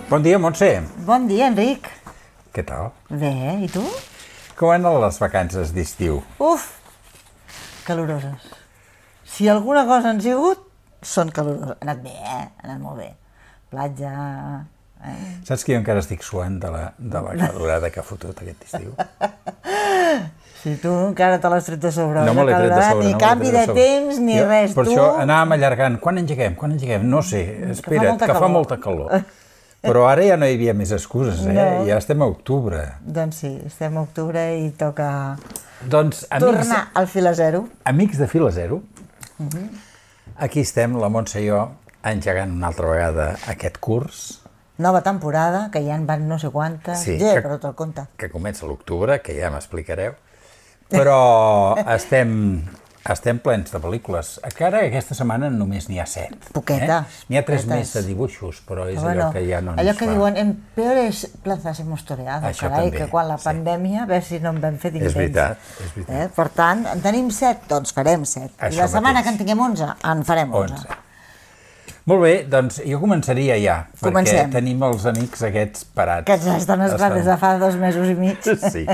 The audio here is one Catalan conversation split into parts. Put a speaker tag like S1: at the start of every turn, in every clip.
S1: Bon dia, Montse.
S2: Bon dia, Enric.
S1: Què tal?
S2: Bé, i tu?
S1: Com han anat les vacances d'estiu?
S2: Uf, caloroses. Si alguna cosa han sigut, són caloroses. Ha anat bé, ha anat molt bé. Platja...
S1: Saps que jo encara estic suant de la calorada que ha fotut aquest estiu?
S2: Si tu encara te l'has tret de sobre.
S1: No me l'he tret de sobre.
S2: Ni canvi de temps, ni res.
S1: Per això anàvem allargant. Quan engeguem? No sé, espera't, que fa molta calor. Però ara ja no hi havia més excuses, Ja estem a octubre.
S2: Doncs sí, estem a octubre i toca
S1: tornar
S2: al fil a zero.
S1: Amics de fil a zero, aquí estem, la Montse i jo, engegant una altra vegada aquest curs.
S2: Nova temporada, que ja en van no sé quantes, però te'l compte.
S1: Que comença a l'octubre, que ja m'explicareu, però estem plens de pel·lícules. Encara aquesta setmana només n'hi ha 7.
S2: Poquetes.
S1: N'hi ha 3 més de dibuixos, però és allò que ja no ens fa.
S2: Allò que diuen, en peores plazas hemos toreado, carai, que quan la pandèmia, a veure si no en vam fer d'intents.
S1: És veritat.
S2: Per tant, en tenim 7, doncs farem 7. I la setmana que en tinguem 11, en farem 11.
S1: Molt bé, doncs jo començaria ja, perquè tenim els amics aquests parats.
S2: Que ja estan esperant des de fa 2 mesos i mig.
S1: Sí.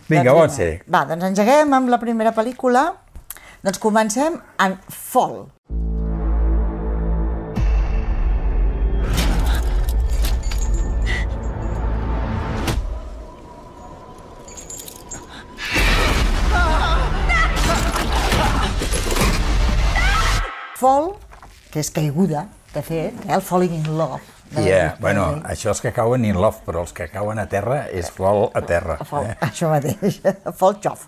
S1: Vinga, bon ser.
S2: Va, doncs engeguem amb la primera pel·lícula. Doncs comencem amb Fall. Fall, que és caiguda, de fet, el Falling in Love.
S1: Bueno, això és que cauen in love, però els que cauen a terra és fall a terra.
S2: Això mateix, fall xof.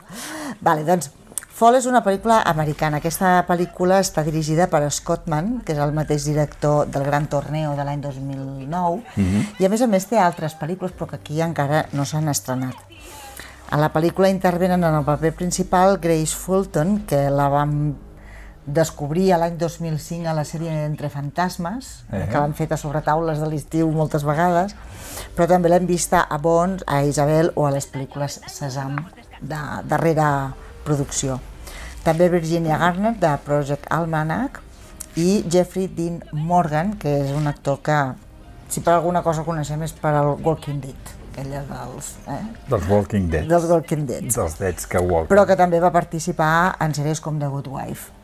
S2: Vale, doncs, Fall és una pel·lícula americana. Aquesta pel·lícula està dirigida per Scott Mann, que és el mateix director del Gran Torneo de l'any 2009, i a més té altres pel·lícules, però que aquí encara no s'han estrenat. A la pel·lícula intervenen en el paper principal Grace Fulton, que la vam descobrir l'any 2005 a la sèrie Entre Fantasmes, que l'han fet a sobretaules de l'estiu moltes vegades, però també l'hem vista a Bones, a Isabel o a les pel·lícules Sesam, de darrera producció. També Virginia Garner, de Project Almanac, i Jeffrey Dean Morgan, que és un actor que, si per alguna cosa el coneixem, és per al Walking Dead. Ella
S1: dels Walking Dead.
S2: Dels Walking Dead.
S1: Dels Deads que walken.
S2: Però que també va participar en sèries com The Good Wife.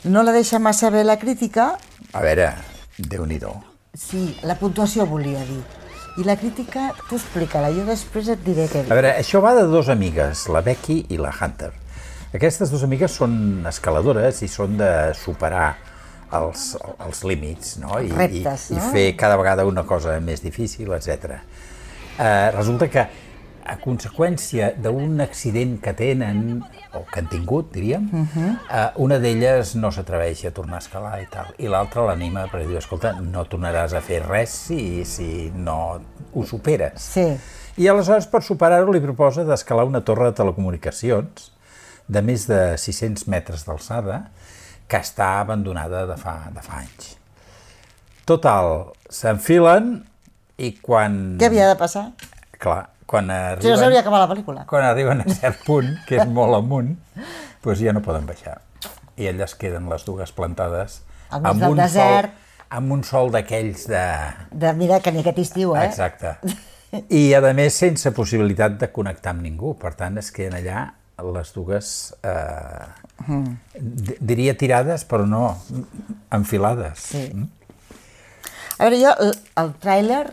S2: No la deixa massa bé la crítica.
S1: A veure, Déu-n'hi-do.
S2: Sí, la puntuació volia dir. I la crítica, tu explica-la, jo després et diré què dir.
S1: A veure, això va de 2 amigues, la Becky i la Hunter. Aquestes 2 amigues són escaladores i són de superar els límits, no?
S2: Reptes, no?
S1: I fer cada vegada una cosa més difícil, etc. Resulta que a conseqüència d'un accident que tenen, o que han tingut, diríem, una d'elles no s'atreveix a tornar a escalar i tal, i l'altra l'anima perquè diu, escolta, no tornaràs a fer res si no ho superes.
S2: Sí.
S1: I aleshores, per superar-ho, li proposa d'escalar una torre de telecomunicacions de més de 600 metres d'alçada, que està abandonada de fa anys. Total, s'enfilen i quan...
S2: Què havia de passar?
S1: Clar, quan arriben...
S2: Si no s'hauria acabat la pel·lícula.
S1: Quan arriben a cert punt, que és molt amunt, doncs ja no poden baixar. I elles queden les dues plantades
S2: amb un
S1: sol d'aquells de...
S2: Mira, que ni aquest estiu,
S1: Exacte. I, a més, sense possibilitat de connectar amb ningú. Per tant, es queden allà les dues, diria tirades, però no, enfilades.
S2: Sí. A veure, jo, el tràiler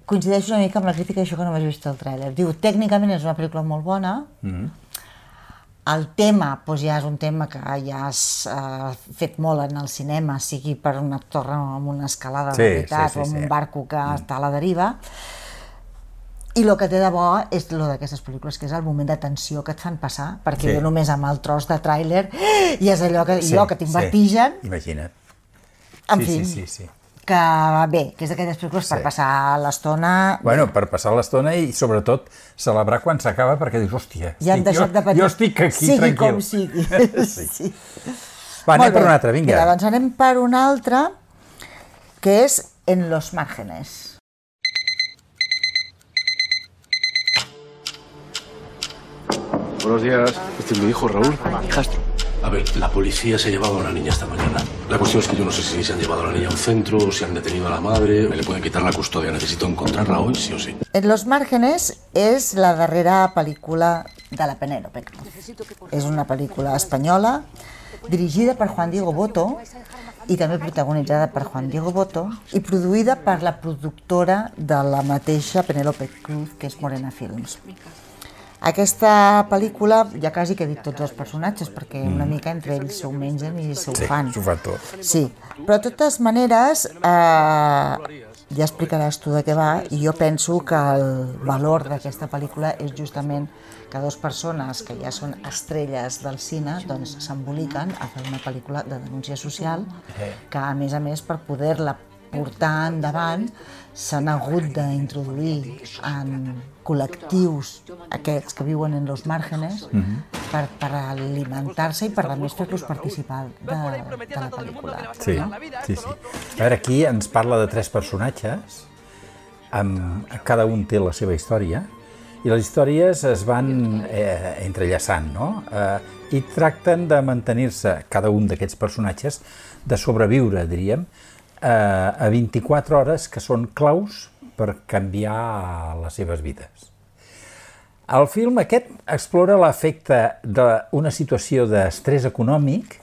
S2: coincideix una mica amb la crítica d'això que no m'has vist el tràiler. Diu, tècnicament és una pel·lícula molt bona, el tema ja és un tema que ja has fet molt en el cinema, sigui per una torre amb una escalada de veritat o amb un barco que està a la deriva, i el que té de bo és el d'aquestes pel·lícules, que és el moment de tensió que et fan passar, perquè jo només amb el tros de tràiler i és allò que jo que tinc vertigen.
S1: Imagina't.
S2: En fi. Que bé, que és d'aquelles pel·lícules per passar l'estona...
S1: Bueno, per passar l'estona i sobretot celebrar quan s'acaba perquè dius, hòstia, jo estic aquí tranquil.
S2: Sigui com sigui. Sí.
S1: Va, anem per una altra, vinga.
S2: Mira, doncs anem per una altra, que és En los márgenes.
S3: Buenos días. Este es mi hijo Raúl, hijastro. A ver, la policía se ha llevado a la niña esta mañana. La cuestión es que yo no sé si se han llevado a la niña a un centro, si han detenido a la madre, me le pueden quitar la custodia. Necesito encontrarla hoy, sí o sí.
S2: En Los márgenes és la darrera pel·lícula de la Penélope Cruz. És una pel·lícula espanyola dirigida per Juan Diego Botto i també protagonitzada per Juan Diego Botto i produïda per la productora de la mateixa Penélope Cruz, que és Morena Films. Aquesta pel·lícula ja quasi que he dit tots els personatges, perquè una mica entre ells s'ho mengen i s'ho fan.
S1: Sí, s'ho fan tot.
S2: Sí, però de totes maneres ja explicaràs tu de què va, i jo penso que el valor d'aquesta pel·lícula és justament que dues persones que ja són estrelles del cine doncs s'emboliquen a fer una pel·lícula de denúncia social que, a més, per poder-la portar endavant s'han hagut d'introduir en col·lectius aquests que viuen en los márgenes per alimentar-se i per a més fer-los participar de la pel·lícula.
S1: Sí, sí, sí. A veure, aquí ens parla de 3 personatges, cada un té la seva història, i les històries es van entrellaçant, no? I tracten de mantenir-se, cada un d'aquests personatges, de sobreviure, diríem, a 24 hores que són claus per canviar les seves vides. El film aquest explora l'efecte d'una situació d'estrès econòmic,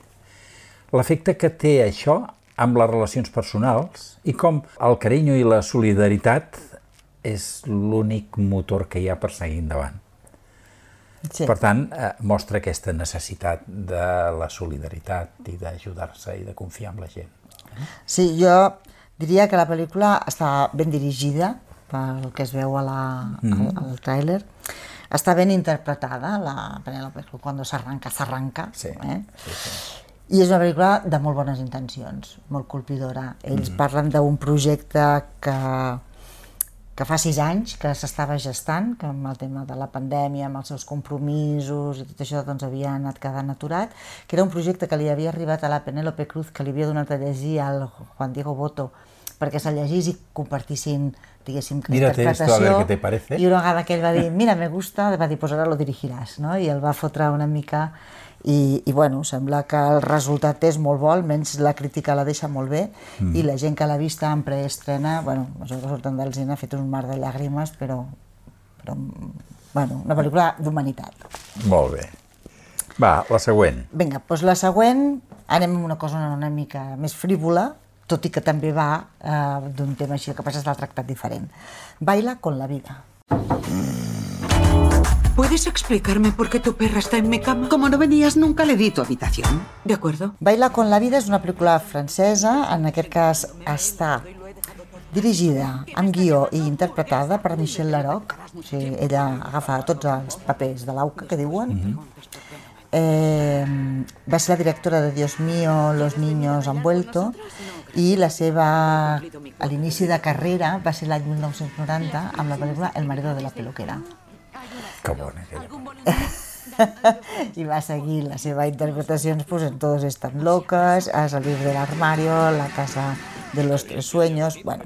S1: l'efecte que té això amb les relacions personals i com el carinyo i la solidaritat és l'únic motor que hi ha per seguir endavant.
S2: Sí.
S1: Per tant, mostra aquesta necessitat de la solidaritat i d'ajudar-se i de confiar en la gent.
S2: Sí, jo diria que la pel·lícula està ben dirigida, pel que es veu al tràiler. Està ben interpretada, la Penélope Cruz, quan s'arranca.
S1: Sí.
S2: I és una pel·lícula de molt bones intencions, molt colpidora. Ells parlen d'un projecte que fa 6 anys que s'estava gestant, que amb el tema de la pandèmia, amb els seus compromisos i tot això doncs havia anat quedant aturat, que era un projecte que li havia arribat a la Penélope Cruz, que li havia donat a llegir al Juan Diego Botto perquè se'l llegís i compartissin, diguéssim, que interpretació. I una vegada que ell va dir, mira, me gusta, va dir, pues ahora lo dirigiràs, no? I el va fotre una mica i bueno, sembla que el resultat és molt bo, almenys la crítica la deixa molt bé, i la gent que l'ha vista en preestrena, bueno, això que surten del cine ha fet un mar de llàgrimes, però bueno, una pel·lícula d'humanitat.
S1: Molt bé. Va, la següent.
S2: Vinga, doncs la següent, anem amb una cosa una mica més frívola, tot i que també va d'un tema així, el que passa és que l'ha tractat diferent. Baila con la vida.
S4: ¿Puedes explicarme por qué tu perra está en mi cama? Como no venías, nunca le di tu habitación. ¿De acuerdo?
S2: Baila con la vida és una pel·lícula francesa, en aquest cas està dirigida amb guió i interpretada per Michel Larocque, o sigui, ella agafa tots els papers de l'AUCA, que diuen. Va ser la directora de Dios mío, Los niños han vuelto, i la seva, a l'inici de carrera, va ser l'any 1990 amb la pel·lícula El marido de la peluquera.
S1: Que bona aquella.
S2: I va seguir les seves interpretacions pues, en Todos están locos, A salir del armario, La casa de los tres sueños, bueno.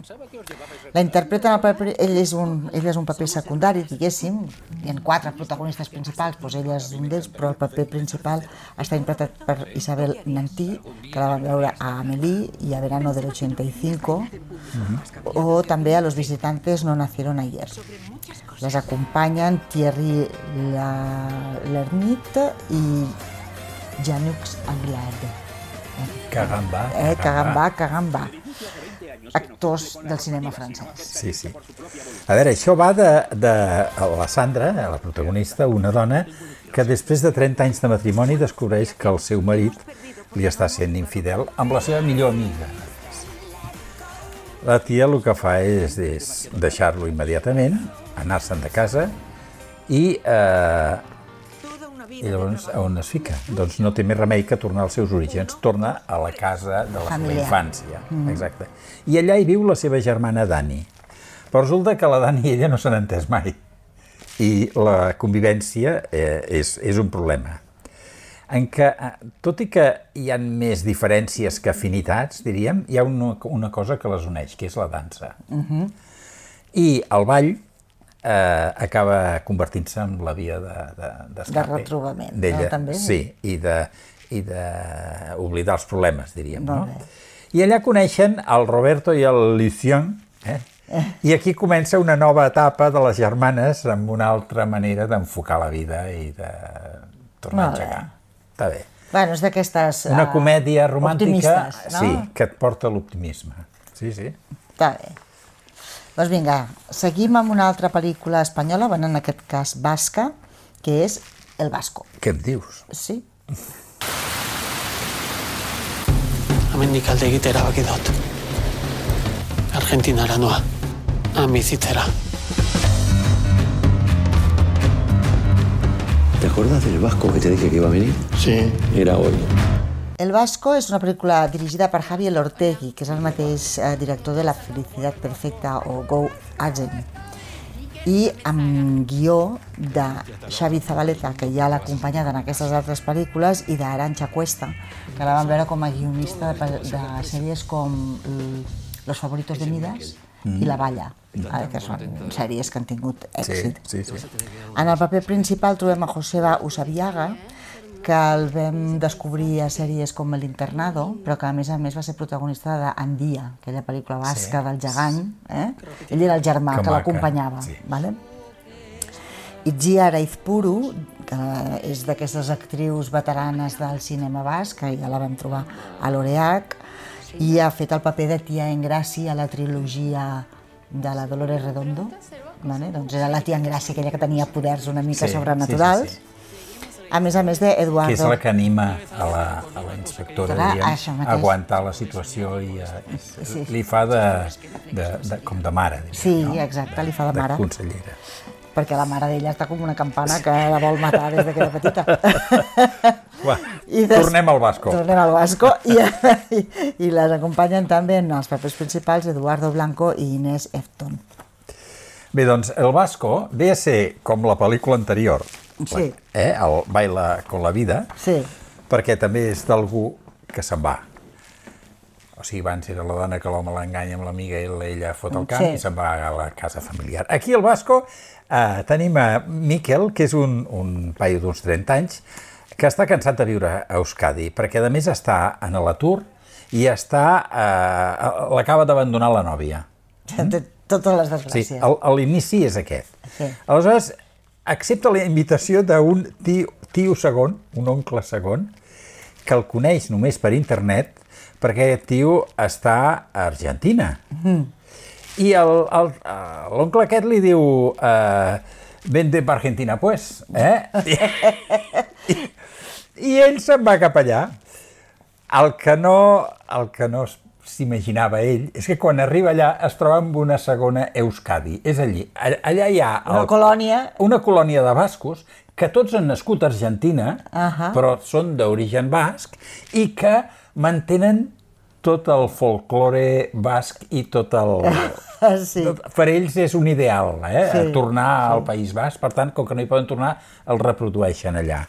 S2: La interpreta, ell és un paper secundari, diguéssim, hi ha 4 protagonistes principals, doncs ella és un d'ells, però el paper principal està interpretat per Isabel Nanty, que la vam veure a Amélie i a Verano del 85, o també a Los visitantes no nacieron ayer. Les acompanyen Thierry Lhermitte i Jean-Luc Anglade. Caramba. Actors del cinema francès.
S1: Sí, sí. A veure, això va de la Sandra, la protagonista, una dona que després de 30 anys de matrimoni descobreix que el seu marit li està sent infidel amb la seva millor amiga. La tia el que fa és deixar-lo immediatament, anar-se'n de casa i llavors on es fica? Doncs no té més remei que tornar als seus orígens, torna a la casa de la seva infància. Exacte. I allà hi viu la seva germana Dani. Però resulta que la Dani i ella no s'han entès mai. I la convivència és un problema. En què, tot i que hi ha més diferències que afinitats, diríem, hi ha una cosa que les uneix, que és la dansa. I el ball acaba convertint-se en la via d'escape.
S2: De retrobament, no? També?
S1: Sí, i d'oblidar els problemes, diríem. No? I allà coneixen el Roberto i el Lucien, i aquí comença una nova etapa de les germanes amb una altra manera d'enfocar la vida i de tornar a engegar. Està bé.
S2: Bueno, és d'aquestes
S1: una comèdia romàntica,
S2: no?
S1: Sí, que et porta a l'optimisme. Sí.
S2: Està bé. Doncs vinga, seguim amb una altra pel·lícula espanyola, en aquest cas basca, que és El Vasco.
S1: Què em dius?
S2: Sí.
S5: Hemendik alde egitera erabaki dut. Argentinara noa. Bizitzera.
S3: ¿Te acuerdas del vasco que te dije que iba a venir?
S5: Sí.
S3: Era hoy.
S2: El Vasco és una pel·lícula dirigida per Javier Ortegui, que és el mateix director de La felicitat perfecta o Go Agent, i amb guió de Xavi Zabaleta, que ja l'ha acompanyat en aquestes altres pel·lícules, i d'Arantxa Cuesta, que la vam veure com a guionista de sèries com Los favoritos de Midas i La Valla, que són sèries que han tingut èxit.
S1: Sí.
S2: En el paper principal trobem a Joseba Usabiaga, que el vam descobrir a sèries com El Internado, però que a més va ser protagonista d'Andia, aquella pel·lícula basca del gegant. Ell era el germà que l'acompanyava. Itziar Aizpuru, que és d'aquestes actrius veteranes del cinema basc, que ja la vam trobar a l'Oreac, i ha fet el paper de tia Engràcia a la trilogia de la Dolores Redondo. Doncs era la tia Engràcia, aquella que tenia poders una mica sobrenaturals. A més d'Eduardo...
S1: Que és la que anima a la inspectora a aguantar la situació i li fa com de mare.
S2: Sí, exacte, li fa de mare.
S1: De consellera.
S2: Perquè la mare d'ella està com una campana que la vol matar des que era petita.
S1: Tornem al Vasco.
S2: Tornem al Vasco i les acompanyen també en els papers principals Eduardo Blanco i Inés Efton.
S1: Bé, doncs el Vasco ve a ser com la pel·lícula anterior, el Baila con la vida, perquè també és d'algú que se'n va. O sigui, abans era la dona que l'home l'enganya amb l'amiga i ella fot el camp i se'n va a la casa familiar. Aquí al Vasco tenim a Miquel, que és un paio d'uns 30 anys, que està cansat de viure a Euskadi, perquè a més està en l'atur i l'acaba d'abandonar la nòvia.
S2: Totes les desgràcies.
S1: Sí, l'inici és aquest. Aleshores, accepta la invitació d'un tio segon, un oncle segon, que el coneix només per internet, perquè aquest tio està a Argentina. I l'oncle aquest li diu vente per Argentina, pues. I ell se'n va cap allà. El que no s'imaginava ell és que quan arriba allà es troba amb una segona Euskadi. És allí. Allà hi ha una colònia de bascos que tots han nascut a Argentina, però són d'origen basc i que mantenen tot el folklore basc i tot el... Per ells és un ideal, tornar al País Basc. Per tant, com que no hi poden tornar, el reprodueixen allà.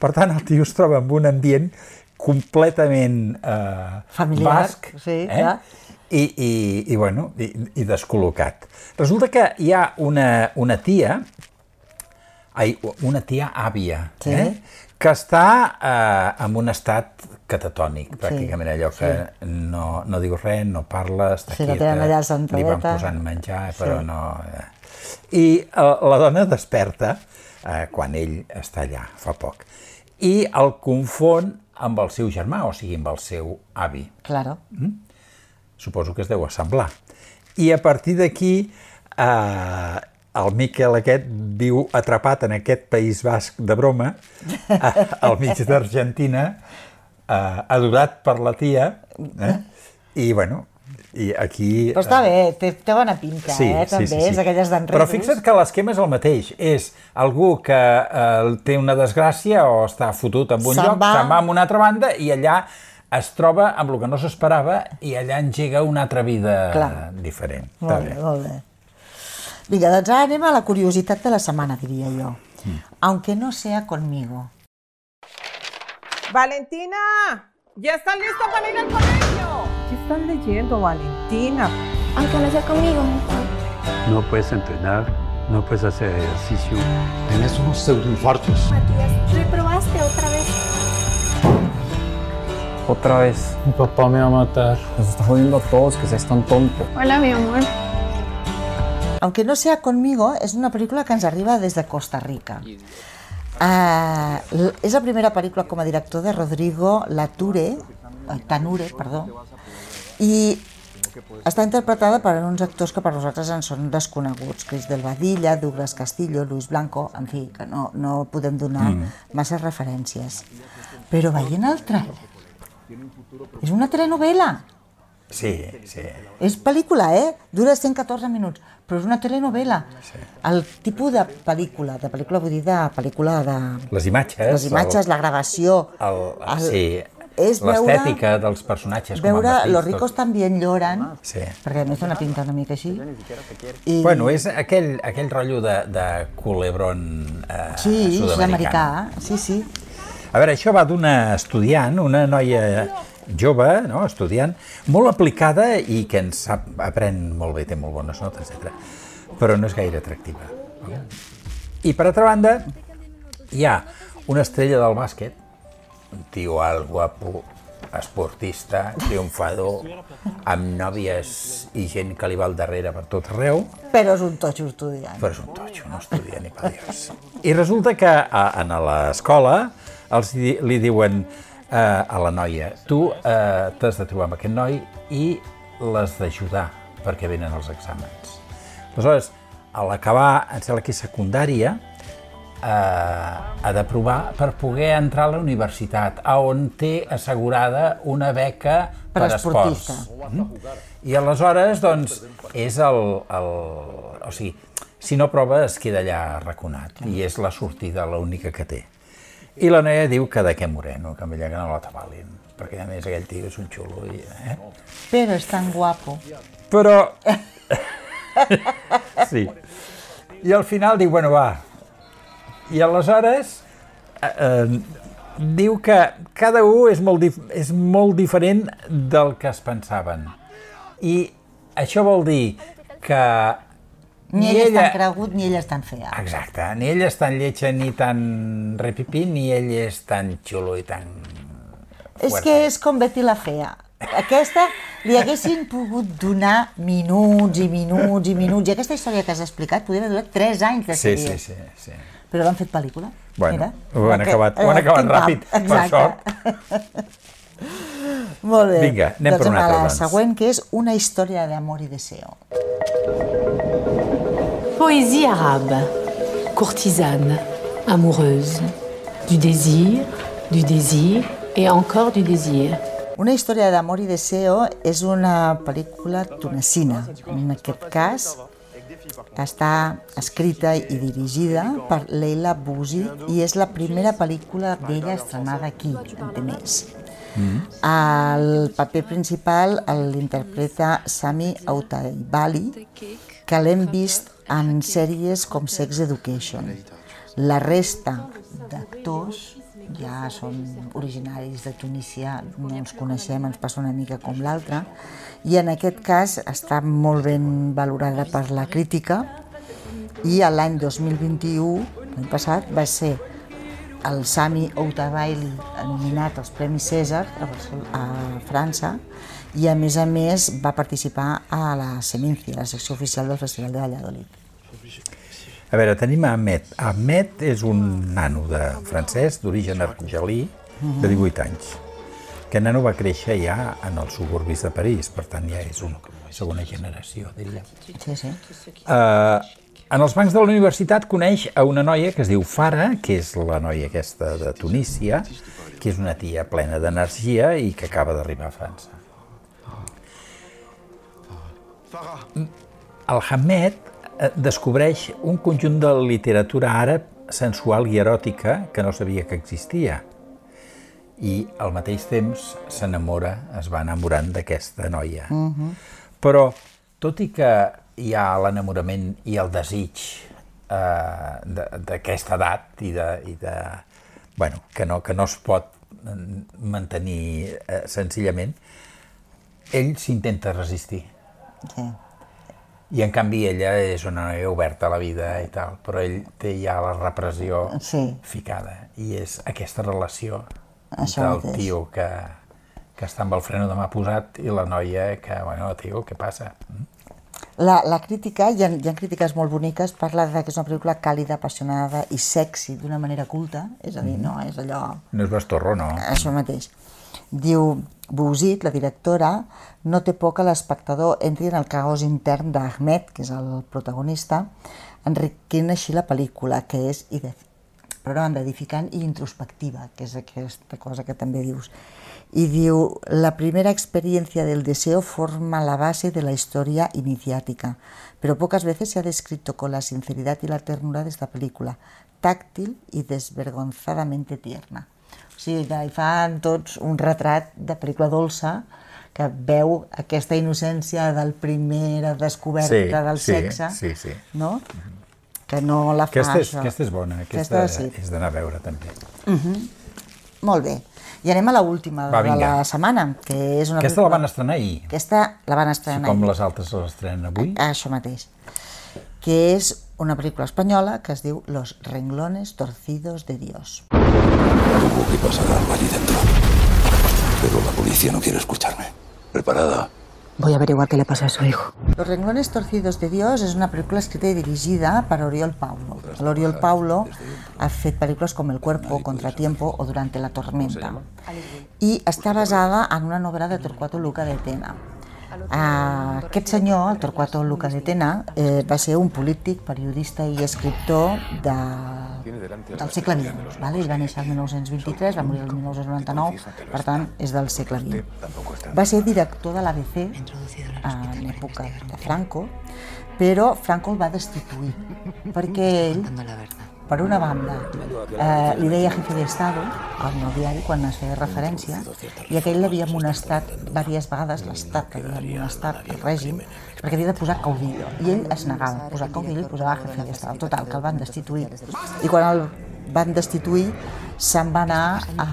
S1: Per tant, el tio es troba en un ambient completament basc i descol·locat. Resulta que hi ha una tia àvia, que està en un estat catatònic, pràcticament allò que no diu res, no parla, està quieta, li van posant menjar, però no... I la dona desperta quan ell està allà, fa poc, i el confon amb el seu germà, o sigui, amb el seu avi.
S2: Claro.
S1: Suposo que es deu assemblar. I a partir d'aquí, el Miquel aquest viu atrapat en aquest País Basc de broma, al mig d'Argentina, adorat per la tia, i bueno, i aquí...
S2: Però està bé, té bona pinta, també, és aquelles d'enredos.
S1: Però fixa't que l'esquema és el mateix, és algú que té una desgràcia o està fotut en un lloc, se'n va a una altra banda i allà es troba amb el que no s'esperava i allà engega una altra vida diferent.
S2: Molt bé. Vinga, doncs ara anem a la curiositat de la setmana, diria jo. Aunque no sea conmigo.
S6: ¡Valentina! ¡Ya estás lista para ir al colegio! ¿Qué estás leyendo, Valentina?
S7: Aunque no sea conmigo.
S8: No puedes entrenar, no puedes hacer ejercicio.
S3: Tienes unos pseudoinfartos.
S7: Matías, reprobaste otra vez. Otra vez.
S5: Mi papá me va a matar.
S7: Nos está jodiendo a todos, que seas tan tonto.
S9: Hola, mi amor.
S2: Aunque no sea conmigo, és una pel·lícula que ens arriba des de Costa Rica. És la primera pel·lícula com a director de Rodrigo Tanure, i està interpretada per uns actors que per nosaltres ens són desconeguts, Chris del Badilla, Douglas Castillo, Luis Blanco, en fi, que no podem donar massa referències. Però veient el tràiler, és una telenovela.
S1: Sí, sí.
S2: És pel·lícula, dura 114 minuts, però és una telenovela. El tipus de pel·lícula vull dir de pel·lícula de...
S1: Les imatges,
S2: la gravació...
S1: l'estètica dels personatges.
S2: Veure Los ricos también lloran,
S1: sí.
S2: Perquè a més dona pinta una mica així.
S1: Bueno, és aquell rotllo de culebrón sud-americà.
S2: Sí, sud-americà, sí.
S1: A veure, això va d'una estudiant, una noia jove, estudiant, molt aplicada i que ens aprèn molt bé, té molt bones notes, etc. Però no és gaire atractiva. I per altra banda, hi ha una estrella del bàsquet, un tio alt, guapo, esportista, triomfador, amb nòvies i gent que li va al darrere per tot arreu.
S2: Però és un totxo estudiant.
S1: Però és un totxo, no estudia ni per Dios. I resulta que a l'escola li diuen a la noia, tu t'has de trobar amb aquest noi i l'has d'ajudar perquè venen els exàmens. Aleshores, a l'acabar, em sembla que és secundària, ha de provar per poder entrar a la universitat, on té assegurada una beca per esports. I aleshores, doncs, és o sigui, si no prova es queda allà arraconat i és la sortida l'única que té. I la noia diu que d'aquest moreno, que amb ella que no l'atabalin, perquè a més aquell tio és un xulo.
S2: Però és tan guapo.
S1: Però... Sí. I al final diu, bueno, va. I aleshores diu que cada un és molt diferent del que es pensaven. I això vol dir que...
S2: Ni ell és tan cregut, ni ella és tan fea.
S1: Exacte, ni ella és tan lletja ni tan repipí, ni ell és tan xulo i tan...
S2: És que és com Betty la fea. Aquesta li haguessin pogut donar minuts i minuts i minuts. I aquesta història que has explicat podria haver durat 3 anys de sèrie.
S1: Sí.
S2: Però l'han fet pel·lícula.
S1: Bueno, ho han acabat ràpid, per sort.
S2: Molt bé.
S1: Vinga, anem per una altra, doncs.
S2: La següent, que és Una història d'amor i deseo.
S10: Poésie arabe, courtisane, amoureuse, du désir et encore du désir.
S2: Una història d'amor i deseo és una pel·lícula tunecina. En aquest cas, està escrita i dirigida per Leila Bouzid i és la primera pel·lícula d'ella estrenada aquí, en Temés. El paper principal l'interpreta Sami Autaibali, que l'hem vist en sèries com Sex Education. La resta d'actors ja són originaris de Tunísia, no ens coneixem, ens passa una mica com l'altra, i en aquest cas està molt ben valorada per la crítica i l'any 2021, l'any passat, va ser el Sami Autaibali nominat als Premis Cèsar a França i a més va participar a la Seminci, la secció oficial del Festival de Valladolid.
S1: A veure, tenim Ahmed. Ahmed és un nano francès d'origen argelí de 18 anys. Aquest nano va créixer ja en els suburbis de París, per tant ja és una segona generació, diríem.
S2: Sí.
S1: En els bancs de la universitat coneix a una noia que es diu Farah, que és la noia aquesta de Tunísia, que és una tia plena d'energia i que acaba d'arribar a França. El Ahmed descobreix un conjunt de literatura àrab sensual i eròtica que no sabia que existia. I al mateix temps es va enamorant d'aquesta noia. Però, tot i que hi ha l'enamorament i el desig d'aquesta edat que no es pot mantenir senzillament, ell s'intenta resistir. I en canvi ella és una noia oberta a la vida i tal, però ell té ja la repressió ficada. I és aquesta relació del tio que que està amb el freno de mà posat i la noia que, bueno, tio, què passa?
S2: La crítica, hi ha crítiques molt boniques, parla que és una pel·lícula càlida, apassionada i sexy d'una manera culta, és a dir, no és allò...
S1: No és bastorro, no.
S2: Això mateix. Diu, Bouzid, la directora, no té por que l'espectador entri en el caos intern d'Ahmed, que és el protagonista, enriquint així la pel·lícula, que és, per una banda, edificant i introspectiva, que és aquesta cosa que també dius. Y diu, la primera experiencia del deseo forma la base de la historia iniciática, pero pocas veces se ha descrito con la sinceridad y la ternura de esta película, táctil y desvergonzadamente tierna. O sigui, que hi fan tots un retrat de pel·lícula dolça que veu aquesta innocència del primera descoberta del sexe, no? Que no la fa això.
S1: Aquesta és bona, aquesta és d'anar a veure també.
S2: Molt bé. I anem a l'última de la setmana, que és una...
S1: Aquesta la van estrenar ahir.
S2: Aquesta la van estrenar ahir.
S1: Com les altres l'estrenen avui.
S2: Això mateix. Que és una pel·lícula espanyola que es diu Los renglones torcidos de Dios.
S3: Supongo que pasará algo allí dentro. Pero la policía no quiere escucharme. ¿Preparada?
S9: Voy a averiguar qué le pasa a su hijo.
S2: Los renglones torcidos de Dios és una pel·lícula escrita i dirigida per Oriol Paulo. L'Oriol Paulo ha fet pel·lícules com El cuerpo, Contratiempo o Durante la tormenta. I està basada en una novel·la de Torquato Luca de Tena. Aquest senyor, el Torquato Luca de Tena, va ser un polític, periodista i escriptor del segle XX. Ell va néixer el 1923, va morir el 1999, per tant, és del segle XX. Va ser director de l'ABC en l'època de Franco, però Franco el va destituir, perquè ell, per una banda, li deia jefe d'Estado al nou diari quan es feia referència, i aquell l'havia amonestat diverses vegades, l'Estat l'havia amonestat, el règim, perquè havia de posar caudillo, i ell es negava a posar caudillo i posava jefe d'Estado. Total, que el van destituir. I quan el van destituir, se'n va anar a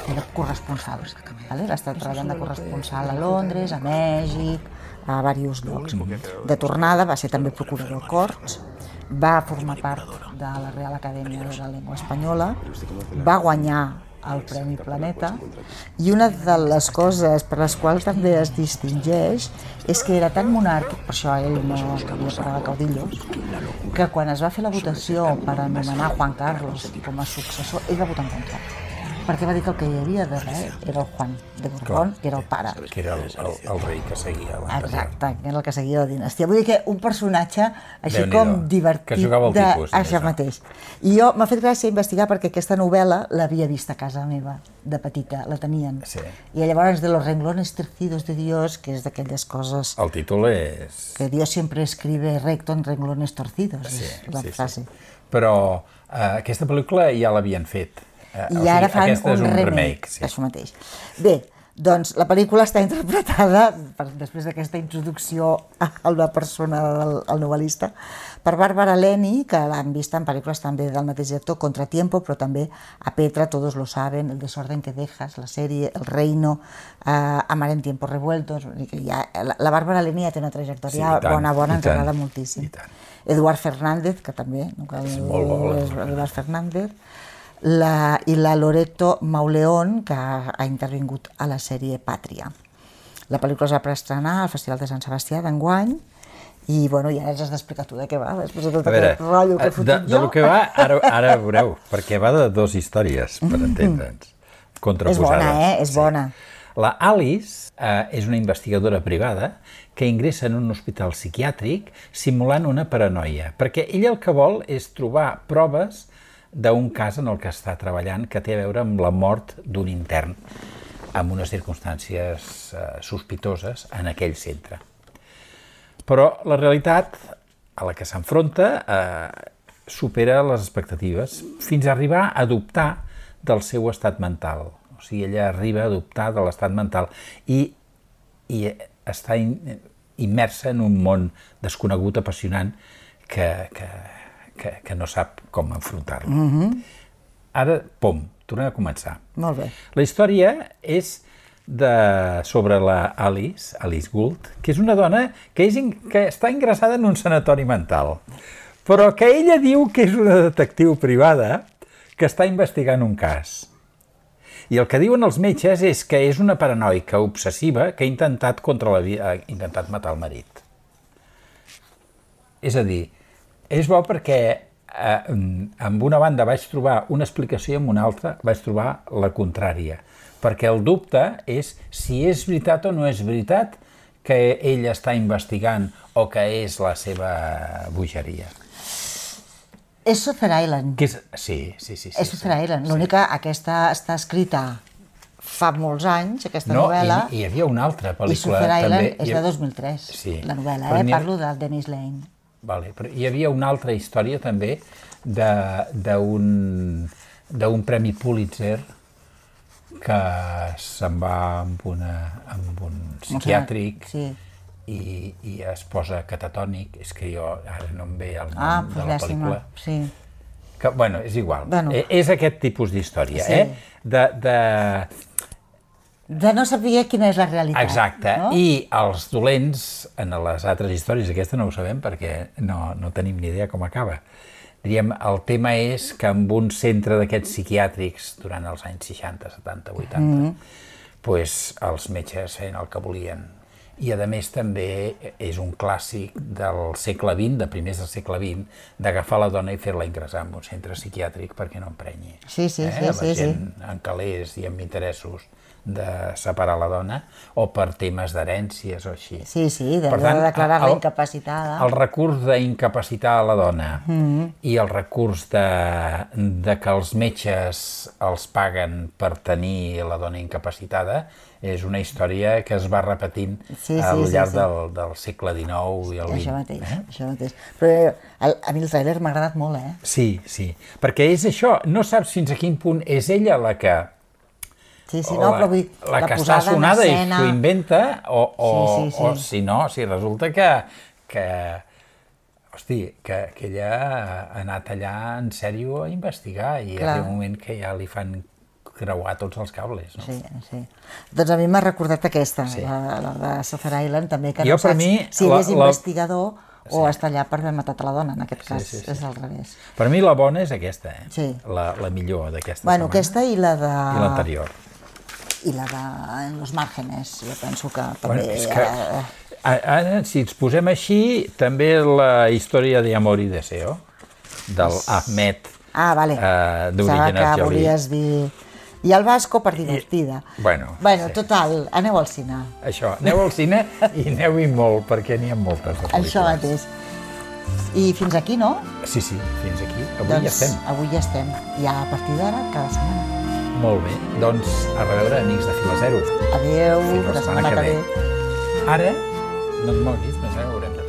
S2: fer de corresponsal. Va estar treballant de corresponsal a Londres, a Mèxic, a diversos llocs. De tornada va ser també procurador Corts, va formar part de la Real Acadèmia de la Llengua Espanyola, va guanyar el Premi Planeta, i una de les coses per les quals també es distingeix és que era tan monàrquic, per això ell no havia pagat caudillos, que quan es va fer la votació per anomenar Juan Carlos com a successor, ell va votar en contra, perquè va dir que el que hi havia darrere era el Juan de Borbón, que era el pare.
S1: Que era el rei que seguia l'anterior.
S2: Exacte, que era el que seguia la dinastia. Vull dir que un personatge així com divertit.
S1: Que jugava el tipus.
S2: Això mateix. I jo m'ha fet gràcia investigar perquè aquesta novel·la l'havia vist a casa meva, de petita, la tenien. I llavors de Los renglones torcidos de Dios, que és d'aquelles coses...
S1: El títol és...
S2: Que Dios siempre escribe recto en renglones torcidos, és la frase.
S1: Però aquesta pel·lícula ja l'havien fet.
S2: I ara fan un remake, això mateix. Bé, doncs la pel·lícula està interpretada, després d'aquesta introducció a la persona del novel·lista, per Bárbara Leni, que l'han vist en pel·lícules també del mateix director, Contratiempo, però també a Petra, Todos lo saben, El desorden que dejas, la sèrie, El reino, Amar en tiempos revueltos... La Bárbara Leni ja té una trajectòria bona, ens agrada moltíssim. Eduard Fernández, que també, és Eduard Fernández, i la Loreto Mauleón, que ha intervingut a la sèrie Pàtria. La pel·lícula es va preestrenar al Festival de Sant Sebastià d'enguany i, bueno, ja ens has d'explicar tu de què va, després de tot aquest rotllo que he fotut jo.
S1: De què va, ara veureu, perquè va de dues històries, per entendre'ns, contraposades.
S2: És bona.
S1: La Alice és una investigadora privada que ingressa en un hospital psiquiàtric simulant una paranoia, perquè ella el que vol és trobar proves d'un cas en el que està treballant que té a veure amb la mort d'un intern amb unes circumstàncies sospitoses en aquell centre. Però la realitat a la que s'enfronta supera les expectatives fins a arribar a dubtar del seu estat mental. O sigui, ella arriba a dubtar de l'estat mental i està immersa en un món desconegut, apassionant, que no sap com enfrontar-lo. Ara, pom, tornem a començar.
S2: Molt bé.
S1: La història és sobre la Alice Gould, que és una dona que està ingressada en un sanatori mental, però que ella diu que és una detectiu privada que està investigant un cas. I el que diuen els metges és que és una paranoica obsessiva que ha intentat matar el marit. És a dir, és bo perquè amb una banda vaig trobar una explicació i amb una altra vaig trobar la contrària. Perquè el dubte és si és veritat o no és veritat que ell està investigant o que és la seva bogeria.
S2: És Shutter Island.
S1: Sí.
S2: És Shutter Island. L'únic que aquesta està escrita fa molts anys, aquesta novel·la.
S1: I hi havia una altra pel·lícula.
S2: I Shutter Island és de 2003, la novel·la, parlo del Dennis Lane.
S1: Vale, però hi havia una altra història també d'un premi Pulitzer que se'n va amb un psiquiàtric i es posa catatònic. És que jo ara no em ve el nom de la pel·lícula. Que, bueno, és igual. És aquest tipus d'història,
S2: de no saber quina és la realitat.
S1: Exacte, i els dolents, en les altres històries, aquesta no ho sabem perquè no tenim ni idea com acaba. Diríem, el tema és que en un centre d'aquests psiquiàtrics durant els anys 60, 70, 80, els metges feien el que volien. I, a més, també és un clàssic del segle XX, de primers del segle XX, d'agafar la dona i fer-la ingressar en un centre psiquiàtric perquè no emprenyi. La gent en calés i amb interessos de separar la dona, o per temes d'herències o així.
S2: De declarar-la incapacitada.
S1: El recurs d'incapacitar la dona i el recurs de que els metges els paguen per tenir la dona incapacitada és una història que es va repetint al llarg del segle XIX i el XX.
S2: Això mateix. Però a mi el tràiler m'ha agradat molt,
S1: Sí, perquè és això, no saps fins a quin punt és ella la que la que està sonada i s'ho inventa, o si no, si resulta que ella ha anat allà en sèrio a investigar i arriba un moment que ja li fan creuar tots els cables.
S2: Doncs a mi m'ha recordat aquesta, la de Shutter Island, també, que no saps si ell és investigador o està allà per haver matat a la dona, en aquest cas, és al revés.
S1: Per mi la bona és aquesta, la millor d'aquesta setmana.
S2: Bueno, aquesta i la de...
S1: I l'anterior.
S2: I la de Los Márgenes, jo penso que també...
S1: Ara, si ens posem així, també la història d'Amor i Deseo, del Ahmed, d'Original
S2: que volies dir... I el Vasco per divertida.
S1: Bueno,
S2: total, aneu al cine.
S1: Això, aneu al cine i aneu-hi molt, perquè n'hi ha moltes de pel·lícules.
S2: Això mateix. I fins aquí, no?
S1: Sí, fins aquí. Avui ja estem.
S2: Avui ja estem. I a partir d'ara, cada setmana.
S1: Molt bé. Doncs, a reveure, amics de Fila Zero.
S2: Adéu, la setmana que ve.
S1: Ara, no et moguis, més haurem de